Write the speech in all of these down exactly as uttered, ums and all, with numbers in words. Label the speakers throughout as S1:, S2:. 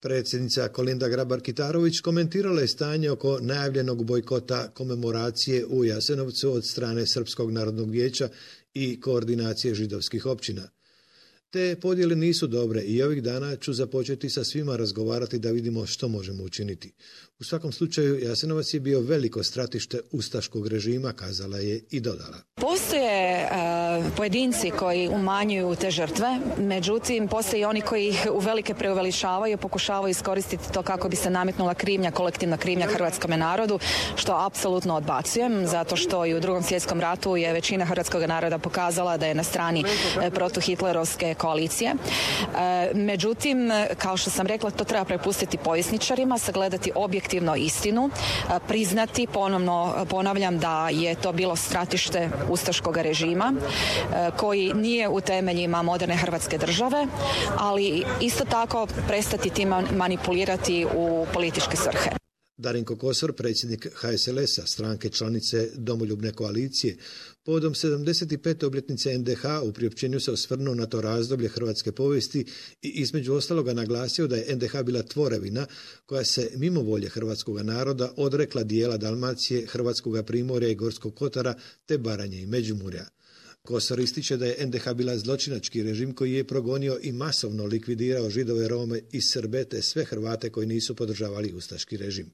S1: Predsjednica Kolinda Grabar-Kitarović komentirala je stanje oko najavljenog bojkota komemoracije u Jasenovcu od strane Srpskog narodnog vijeća i koordinacije židovskih općina. Te podjele nisu dobre i ovih dana ću započeti sa svima razgovarati da vidimo što možemo učiniti. U svakom slučaju, Jasenovac je bio veliko stratište ustaškog režima, kazala je i dodala.
S2: Postoje uh, pojedinci koji umanjuju te žrtve, međutim postoje i oni koji ih uvelike preuveličavaju i pokušavaju iskoristiti to kako bi se nametnula krivnja, kolektivna krivnja hrvatskome narodu, što apsolutno odbacujem, zato što i u Drugom svjetskom ratu je većina hrvatskog naroda pokazala da je na strani eh, protuhitlerovske koalicije. E, međutim, kao što sam rekla, to treba prepustiti povjesničarima, sagledati objektivno istinu, e, priznati, ponovno ponavljam da je to bilo stratište ustaškog režima e, koji nije u temeljima moderne Hrvatske države, ali isto tako prestati tim manipulirati u političke svrhe.
S1: Darinko Kosor, predsjednik H S L S-a, stranke članice Domoljubne koalicije, povodom sedamdeset pete obljetnice N D H u priopćenju se osvrnuo na to razdoblje hrvatske povijesti i između ostaloga naglasio da je N D H bila tvorevina koja se mimo volje hrvatskog naroda odrekla dijela Dalmacije, Hrvatskoga primorja i Gorskog kotara te Baranje i Međimurja. Kosor ističe da je N D H bila zločinački režim koji je progonio i masovno likvidirao Židove, Rome i Srbe te sve Hrvate koji nisu podržavali ustaški režim.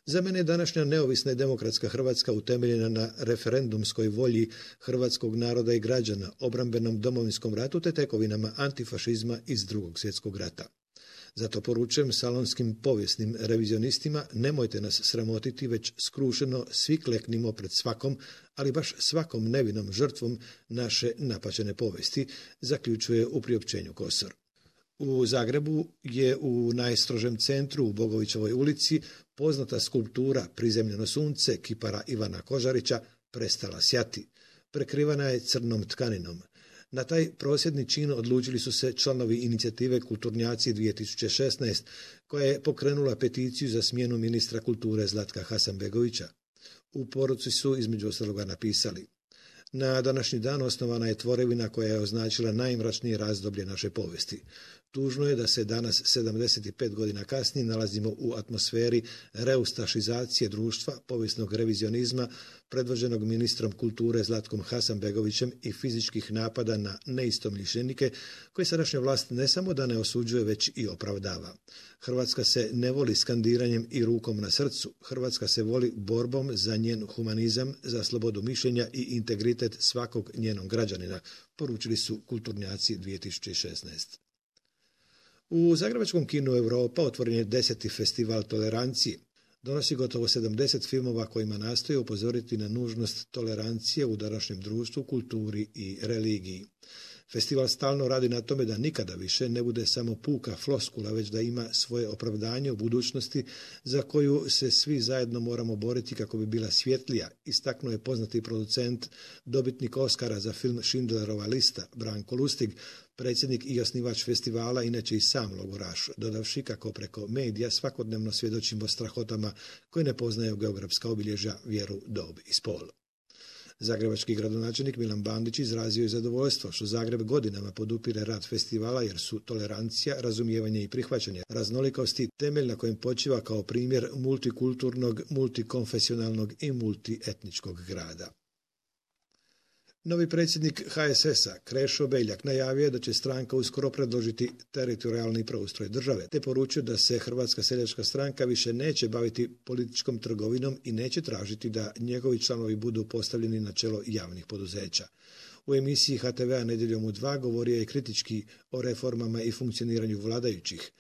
S1: Za mene je današnja neovisna i demokratska Hrvatska utemeljena na referendumskoj volji hrvatskog naroda i građana, obrambenom Domovinskom ratu te tekovinama antifašizma iz Drugog svjetskog rata. Zato poručujem salonskim povijesnim revizionistima, nemojte nas sramotiti, već skrušeno svi kleknimo pred svakom, ali baš svakom nevinom žrtvom naše napaćene povijesti, zaključuje u priopćenju Kosor. U Zagrebu je u najstrožem centru u Bogovićevoj ulici poznata skulptura Prizemljeno sunce kipara Ivana Kožarića prestala sjati. Prekrivana je crnom tkaninom. Na taj prosvjedni čin odlučili su se članovi inicijative Kulturnjaci dvije tisuće šesnaest, koja je pokrenula peticiju za smjenu ministra kulture Zlatka Hasanbegovića. U poruci su između ostaloga napisali: na današnji dan osnovana je tvorevina koja je označila najmračnije razdoblje naše povijesti. Tužno je da se danas, sedamdeset pet godina kasnije, nalazimo u atmosferi reustašizacije društva, povijesnog revizionizma, predvođenog ministrom kulture Zlatkom Hasanbegovićem i fizičkih napada na neistomišljenike, koje sadašnja vlast ne samo da ne osuđuje, već i opravdava. Hrvatska se ne voli skandiranjem i rukom na srcu. Hrvatska se voli borbom za njen humanizam, za slobodu mišljenja i integritet svakog njenog građanina, poručili su Kulturnjaci dvije tisuće šesnaest. U Zagrebačkom kinu Europa otvoren je deseti festival tolerancije. Donosi gotovo sedamdeset filmova kojima nastoji upozoriti na nužnost tolerancije u današnjem društvu, kulturi i religiji. Festival stalno radi na tome da nikada više ne bude samo puka floskula, već da ima svoje opravdanje u budućnosti za koju se svi zajedno moramo boriti kako bi bila svjetlija, istaknuo je poznati producent, dobitnik Oskara za film Schindlerova lista, Branko Lustig, predsjednik i osnivač festivala, inače i sam logoraš, dodavši kako preko medija svakodnevno svjedočimo strahotama koje ne poznaju geografska obilježja, vjeru, dob i spol. Zagrebački gradonačelnik Milan Bandić izrazio je zadovoljstvo što Zagreb godinama podupire rad festivala, jer su tolerancija, razumijevanje i prihvaćanje raznolikosti temelj na kojem počiva kao primjer multikulturnog, multikonfesionalnog i multietničkog grada. Novi predsjednik H S S-a Krešo Beljak najavio je da će stranka uskoro predložiti teritorijalni preustroj države, te poručio da se Hrvatska seljačka stranka više neće baviti političkom trgovinom i neće tražiti da njegovi članovi budu postavljeni na čelo javnih poduzeća. U emisiji H T V-a Nedjeljom u dva govorio je kritički o reformama i funkcioniranju vladajućih.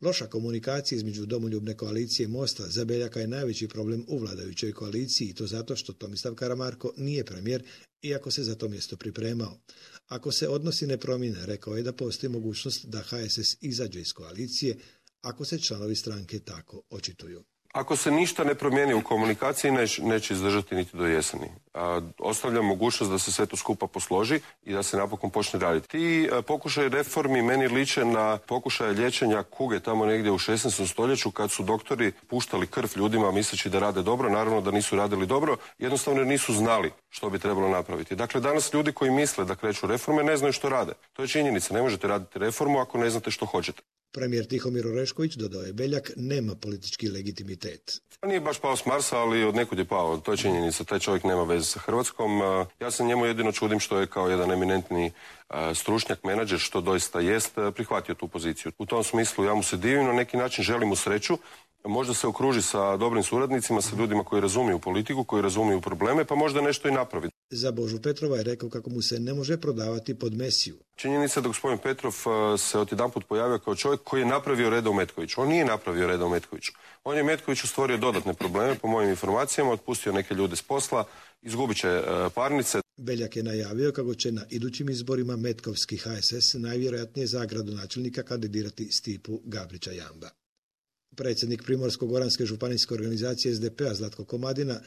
S1: Loša komunikacija između Domoljubne koalicije i Mosta za Beljaka je najveći problem u vladajućoj koaliciji, i to zato što Tomislav Karamarko nije premijer, iako se za to mjesto pripremao. Ako se odnosi ne promijene, rekao je da postoji mogućnost da H S S izađe iz koalicije, ako se članovi stranke tako očituju.
S3: Ako se ništa ne promijeni u komunikaciji, neć, neće izdržati niti do jeseni. A, ostavlja mogućnost da se sve to skupa posloži i da se napokon počne raditi. Ti a, pokušaj reformi meni liče na pokušaje liječenja kuge tamo negdje u šesnaestom stoljeću, kad su doktori puštali krv ljudima misleći da rade dobro, naravno da nisu radili dobro, jednostavno jer nisu znali što bi trebalo napraviti. Dakle, danas ljudi koji misle da kreću reforme ne znaju što rade. To je činjenica, ne možete raditi reformu ako ne znate što hoćete.
S1: Premijer Tihomir Orešković, dodao je Beljak, nema politički legitimitet.
S3: Nije baš pao s Marsa, ali od nekud je pao. To je činjenica. Taj čovjek nema veze sa Hrvatskom. Ja se njemu jedino čudim što je kao jedan eminentni stručnjak, menadžer, što doista jest, prihvatio tu poziciju. U tom smislu ja mu se divim, na neki način želim mu sreću. Možda se okruži sa dobrim suradnicima, sa ljudima koji razumiju politiku, koji razumiju probleme, pa možda nešto i napravi.
S1: Za Božu Petrova je rekao kako mu se ne može prodavati pod Mesiju.
S3: Činjenica da gospodin Petrov se odjedanput pojavio kao čovjek koji je napravio reda u Metkoviću. On nije napravio reda u Metkoviću. On je Metkoviću stvorio dodatne probleme, po mojim informacijama, otpustio neke ljude s posla, izgubit će parnice.
S1: Beljak je najavio kako će na idućim izborima metkovski H S S najvjerojatnije za gradonačelnika kandidirati Stipu Gabrića Jamba. Predsjednik Primorsko-goranske županijske organizacije S D P-a Zlatko Komadina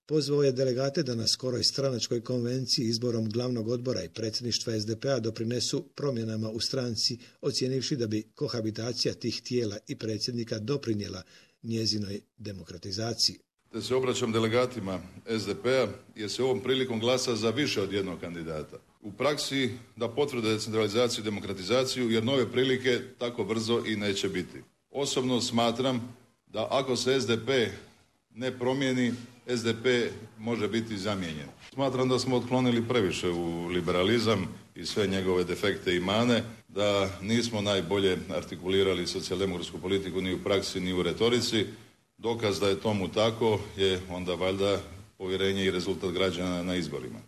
S1: pozvao je delegate da na skoroj stranačkoj konvenciji izborom glavnog odbora i predsjedništva S D P-a doprinesu promjenama u stranci, ocijenivši da bi kohabitacija tih tijela i predsjednika doprinijela njezinoj demokratizaciji.
S4: Te se obraćam delegatima S D P-a jer se ovom prilikom glasa za više od jednog kandidata. U praksi da potvrde decentralizaciju i demokratizaciju jer nove prilike tako brzo i neće biti. Osobno smatram da ako se S D P ne promijeni, S D P može biti zamijenjen. Smatram da smo otklonili previše u liberalizam i sve njegove defekte i mane, da nismo najbolje artikulirali socijaldemokratsku politiku ni u praksi ni u retorici. Dokaz da je tomu tako je onda valjda povjerenje i rezultat građana na izborima.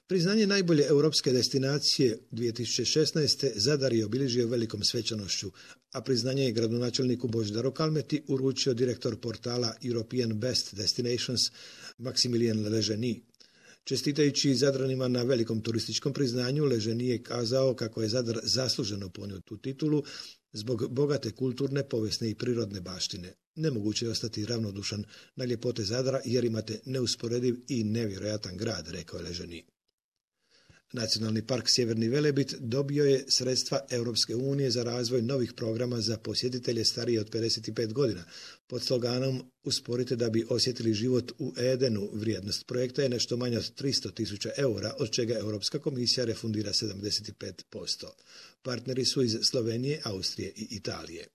S1: Priznanje najbolje europske destinacije dvije tisuće šesnaeste. Zadar je obilježio velikom svečanošću, a priznanje je gradonačelniku Božidaru Kalmeti uručio direktor portala European Best Destinations Maximilien Leženi. Čestitajući Zadranima na velikom turističkom priznanju, Leženi je kazao kako je Zadar zasluženo ponio tu titulu zbog bogate kulturne, povijesne i prirodne baštine. Nemoguće je ostati ravnodušan na ljepote Zadra jer imate neusporediv i nevjerojatan grad, rekao je Leženi. Nacionalni park Sjeverni Velebit dobio je sredstva Europske unije za razvoj novih programa za posjetitelje starije od pedeset pet godina. Pod sloganom "Usporite da bi osjetili život u Edenu", vrijednost projekta je nešto manja od tristo tisuća eura, od čega Europska komisija refundira sedamdeset pet posto. Partneri su iz Slovenije, Austrije i Italije.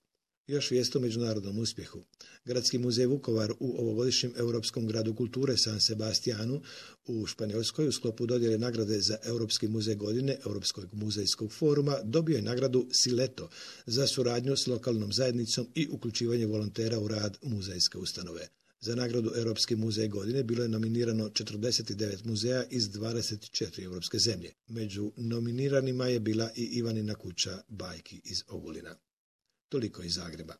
S1: Još vijest o međunarodnom uspjehu. Gradski muzej Vukovar u ovogodišnjem Europskom gradu kulture San Sebastianu u Španjolskoj u sklopu dodjele nagrade za Europski muzej godine Europskog muzejskog foruma dobio je nagradu Sileto za suradnju s lokalnom zajednicom i uključivanje volontera u rad muzejske ustanove. Za nagradu Europski muzej godine bilo je nominirano četrdeset devet muzeja iz dvadeset četiri europske zemlje. Među nominiranima je bila i Ivanina kuća bajki iz Ogulina. Toliko iz Zagreba.